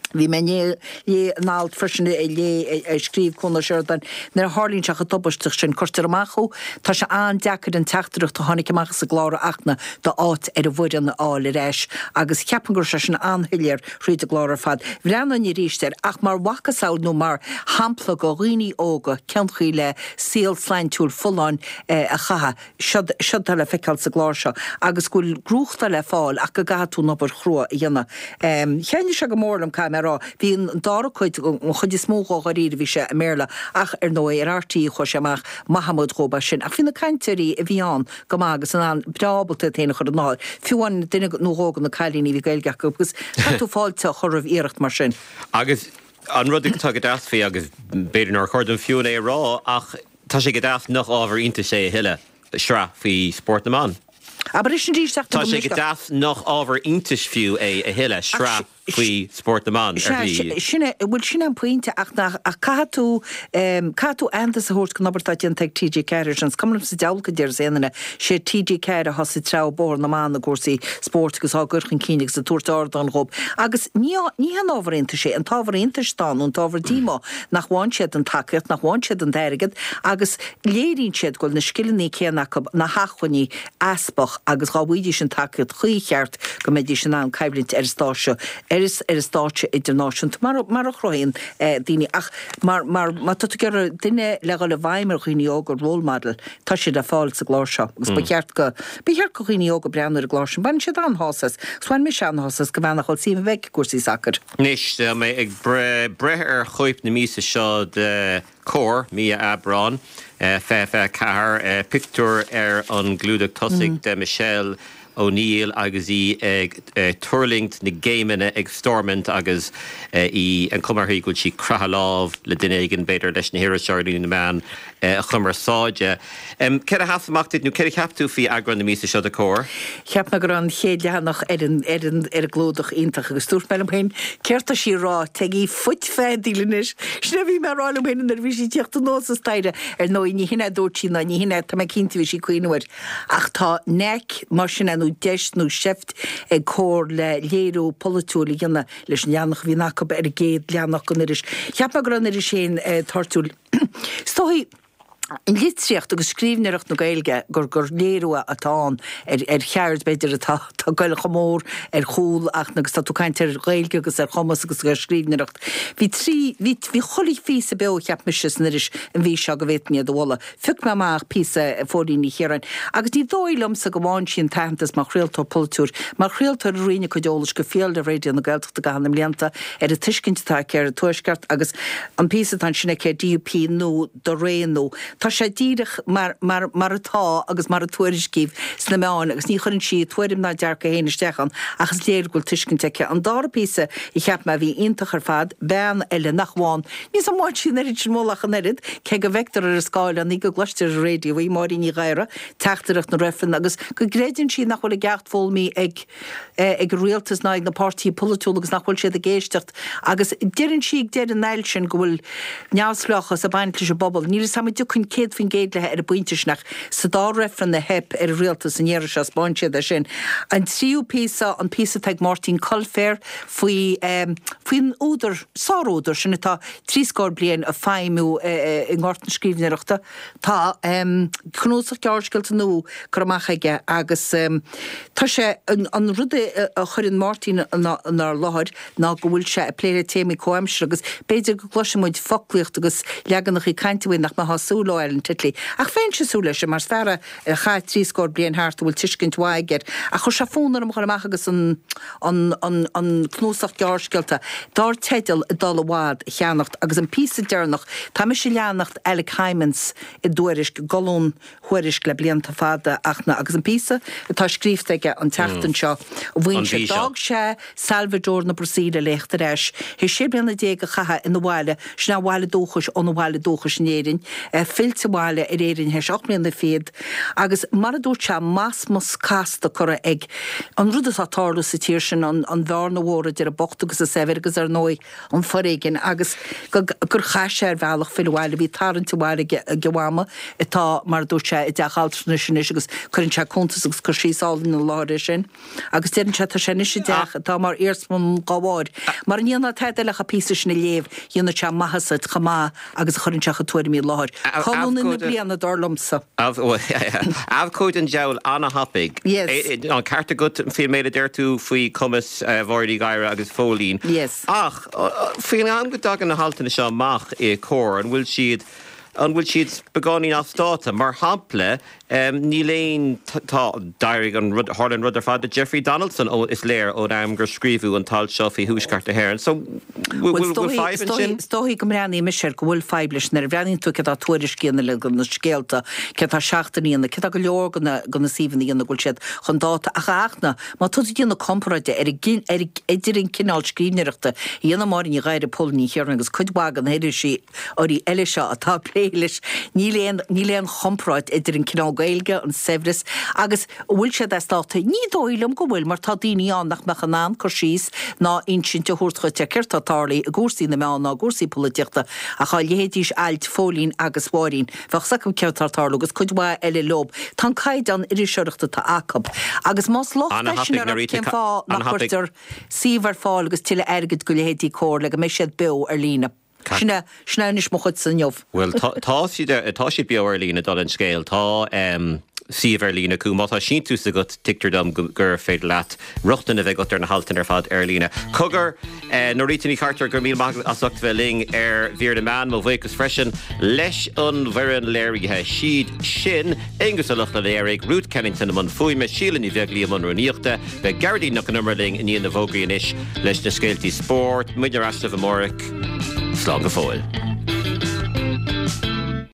bhí mé i ndiaidh léamh in alt freisin a léigh a scríobh Cuan Ó Seireadáin nuair a tharlaíonn sé chomh tubaisteach sin cuirtear amach thú tá sé an-deacair an teachtaireacht a tháinig amach as an gclár a Fhachtna d'áit ar an bhfoireann a fháil ar ais agus cheapfainn go raibh sé sin an-shoiléir thríd an gclár ar fad. Bhreathnóinn arís air ach mar mhacasamhail nó mar shampla do dhaoine óga cén chaoi le saol slaintiúil folláin a chaitheamh. Seod, seod atá le feiceáil sa gclár seo agus go bhfuil gnóthachtáil le fáil ach go gcaithfidh tú an obair chrua a dhéanamh. Thaitnigh sé go mór liom, caithfidh mé. mé a rá. Bhí an dara cuid, an chuid is mó dhó dháiríre, bhí sé i mBéarla ach ar ndóigh ar RTÉ a chuaigh sé amach, maith muid dhób as sin. Ach bhí na cainteoirí a bhí ann go maith agus in ann, breá ábalta iad féin a chur i láthair. Fiú amháin duine nó dhó de na cailíní bhí Gaeilge acu agus caithfidh tú fáilte a chur roimh iarracht mar sin. Agus an rud atá go deas faoi, agus b'fhéidir nár chóir dom fiú é a rá, ach tá sé go deas nach ábhar iontais é a thuilleadh, sraith faoi spórt na mban. Abair é sin arís ach Tá sé go deas nach ábhar iontais fiú é a thuilleadh, sraith faoi spórt na mban, ar shlí. Sin é, bhuel sin é an pointe ach nach, ach caithfidh tú, caithfidh tú aitheantas a thabhairt don obair atá déanta ag TG4 ar sin. Is cuma liom sa diabhal cad déarfas aon duine, sé TG4 atá sa treabhadh bóthar na mban i gcúrsaí spóirt agus á gcur chun cinn agus ag tabhairt ardán dhób. Agus ní, ní haon ábhar iontais é, an t-ábhar iontais atá ann, nó an t-ábhar díomá, nach bhfaigheann siad an tacaíocht, nach bhfaigheann siad an t-airgead agus léiríonn siad go bhfuil na scileanna céanna acu, na hacmhainní easpach agus dhá bhfaighidís an tacaíocht chuí cheart go mbeidís in ann coimhlint ar an stáitse, ar an stáitse idirnáisiúnta mar, mar a chruthaíonn daoine. Ach mar, mar, má tá tú ag iarraidh duine le dhul i bhfeidhm ar dhaoine óga, role model, tá siad le fáil sa gclár seo agus ba cheart go, ba cheart go dhaoine óga breathnú ar an gclár sin. Baineann siad an-shásamh as. Agus bhain mise an-shásamh as go mbeann nach bhfuil suim a bheith i gcúrsaí sacair. Anois, tá mé ag breith ar chóip na míosa seo de Comhar, mí Aibreán, 2024, pictiúr ar an gclúdach tosaigh de Michelle O'Neill agus í ag tuirlingt na gcéimeanna ag Stormont agus í, an chuma uirthi go bhfuil sí ag croitheadh lámh le duine éigin, b'fhéidir leis na hiriseoirí nó na meáin chumarsáide. Céard a sheas amach duit nó céard a cheap tú faoi eagrán na míosa seo de Comhar? Cheap mé go raibh an chéad leathanach ar an ar an ar an gclúdach iontach agus dúirt mé liom féin, céard tá sí a rá, téigí fuit feadaíl anois. Sin é a bhí mé a rá liom féin nuair a bhí sí ag tíocht anuas an staighre. Ar ndóigh, ní hin é a dúirt sí ná ní hin é, tá mé cinnte, bhí sí ag cuimhneamh air. Ach tá knack, mar sin é, nó deis nó seift ag Comhar le léiriú polaitiúil a dhéanamh leis an leathanach a bhíonn acu ar an gcéad leathanach den iris. Cheap mé go raibh an iris féin toirtiúil. Is dóigh an litríocht agus scríbhneoireacht na Gaeilge gur gur léiriú atá ann ar ar cheird b'fhéidir atá atá ag goil chomh mór ar chúl ach agus tá tú ag caint ar Ghaeilge agus ar chumas agus ar scríbhneoireacht. Bhí trí bhí bhí chuile phíosa beo cheap mise san iris an mhí seo go bhféadfainn iad a mholadh. Phioc mé amach píosa Phóilín Ní Chiaráin agus ní dóigh liomsa go bhfaigheann sí an t-aitheantas mar chraoltóir polaitiúil, mar chraoltóir a roinn a cuid eolais go fial le Raidió na Gaeltachta i gcaitheamh na mblianta ar an tuiscint atá aici ar an Tuaisceart agus an píosa atá ansin aici ar DUP nó do ré nó tá sé díreach mar mar mar atá agus mar a tuairiscíodh sna meáin agus ní chuireann sí a tuairim ná a dearcadh féin isteach ann ach is léir go bhfuil tuiscint aici. An dara píosa a cheap mé a bhí iontach ar fad, bean eile nach bhfaigheann, níl 's a'm an bhfaigheann sí an oiread sin moladh ach an oiread, cé go bhfeictear ar an scáileán í go gcloistear ar an raidió í, Máirín Ní Ghadhra, teachtaireacht na reifreann agus go gcreideann sí nach bhfuil an ceacht foghlamtha ag ag an rialtas ná ag na páirtithe polaitiúla agus nach bhfuil siad ag éisteacht agus deireann sí ag deireadh an ailt sin go bhfuil neamhspleáchas ag baint leis an bpobal. Níl 'fhios a'm an dtiocfainn 100% léi ar an bpointe sin ach sa dá reifreann a theip ar an rialtas an iarraidh seo 'spáin siad é sin. An tríú píosa, an píosa atá ag Máirtín Coilféir faoi faoin údar, sárúdar sin atá trí scór bliain ag feidhmiú i ngort na scríbhneoireachta. Tá cnuasach gearrscéalta nua curtha amach aige agus tá sé, an rud a chuireann Máirtín inár láthair ná go bhfuil sé ag plé le téamaí comhaimseartha agus b'fhéidir go gcloisfidh muid foclaíocht agus leaganacha cainte uaidh nach mbeifeá ag súil leo ó Alan Titley. Ach bheinnse ag súil leis sin mar is fear é a chaith trí scór bliain thart a bhfuil tuiscint mhaith aige air. Ach chuir sé fonn orm a dhul amach agus an an an an cnuasach gearrscéalta dar teideal Ag Dul i bhFad a cheannacht agus an píosa deireanach, tá mise ag leanacht Alec Hijmans i dTuairisc, i gcolún Thuairisc le blianta fada ach na agus an píosa atá scríofa aige an tseachtain seo, an mhaíonn sé, mhí seo. d'fhág sé Salvador na Brasaíle le theacht ar ais théis 16 bliana a chaitheamh ina bhaile, sin a bhaile dúchais óna bhaile dúchais in Éirinn, fillte abhaile ar Éirinn théis 8 mbliana fichead agus mar a dúirt sé, masmas casta curtha ag an rud atá ag tarlú sa tír sin, an bhearna mhór idir an bocht agus an saibhir agus ar ndóigh an foréigean agus gur chaith sé ar bhealach filleadh abhaile, bhí tarraingt abhaile ag a mhama atá, mar a dúirt sé, i dteach altranais anois agus cuireann sé cuntas agus cur síos álainn ina láthair air sin. Agus deireann sé, tá sé anois i dteach atá mar iarsmalann dá bharr. Mara ndéanfá tada eile ach an píosa sin a léamh, dhéanfadh sé maitheas duit chomh maith agus a chuireann sé a chuid tuairimí i láthair. Colúnaí na bliana, dar liomsa. Abhcóide an diabhail ana-thapaidh. Yes. An ceart agat faoin méid a deir tú faoi chumas Mháire Uí Ghadhra agus Phóilín. Yes. Ach faoin am go dtagann na haltanna seo amach i Comhar, an bhfuil siad. An bhfuil siad beagáinín as dáta? Mar shampla, níl aon, tá, d'éirigh an rud, tharla an rud ar fad le Jeffrey Donaldson, ó, is léir ón am gur scríobhadh an t-alt seo faoi Thuaisceart na hÉireann. So, bhfuil, bhfuil fadhb ansin? Is dóichí go mbreathnaíonn mise air go bhfuil fadhb leis nuair a bhreathnaíonn tú céard atá Tuairisc a dhéanamh le na scéalta, céard atá Seachtain a dhéanamh, céard atá go leor de na, de na suíomhanna a dhéanamh go bhfuil siad chun dáta ach a Fhachtna, má tá tú ag déanamh comparáide ar an, ar, idir an cineál scríbhneoireachta a dhéanann Máire Ní Ghadhra, Póilín Ní Chiaráin agus cuid mhaith de na hiriseoirí eile seo atá ag plé leis, níl aon, níl aon chomparáid idir an cineál Gaeilge, an saibhreas agus an bhfuil siad as dáta? Ní dóigh liom go bhfuil mar tá daoine ann nach mbeadh in ann cur síos ná insint a thabhairt dhuit ar céard atá tarlaithe i gcúrsaí na meán ná i gcúrsaí polaitíochta ach dá léifidís ailt Phóilín agus Mháirín bheadh 's acu céard atá ag tarlú agus cuid mhaith eile leob. Tá an caighdeán iriseoireachta atá acu agus más locht é sin orthu cén fáth nach gcuirtear suíomh ar fáil agus tuilleadh airgid go leithéidí Comhar le go mbeidh siad beo ar líne. Sin é, sin é anois mo chuidse inniu. Bhuel, tá, tá siad ar, tá siad beo ar líne, dála an scéil. Tá suíomh ar líne acu. Má tá síntiús agat, tuigtear dom gur féidir leat rochtain a bheith agat ar na haltanna ar fad ar líne. Cogar, Norita Ní Chartúir, go raibh míle maith agat as ucht a bheith linn ar Mhír na Meán. Mo bhuíochas freisin leis an bhfoireann léirithe. Siad sin, Aonghus Ó Lochlainn, Ruth Kennington i mbun fuaime, Síle Ní Bheaglaoí i mbun rúnaíochta. Beidh Gearóidín Nic Con Iomaire linn i ndiaidh na bhfógraí anois leis na scéaltaí spóirt. Muidne ar ais libh amárach. Slán go fóill.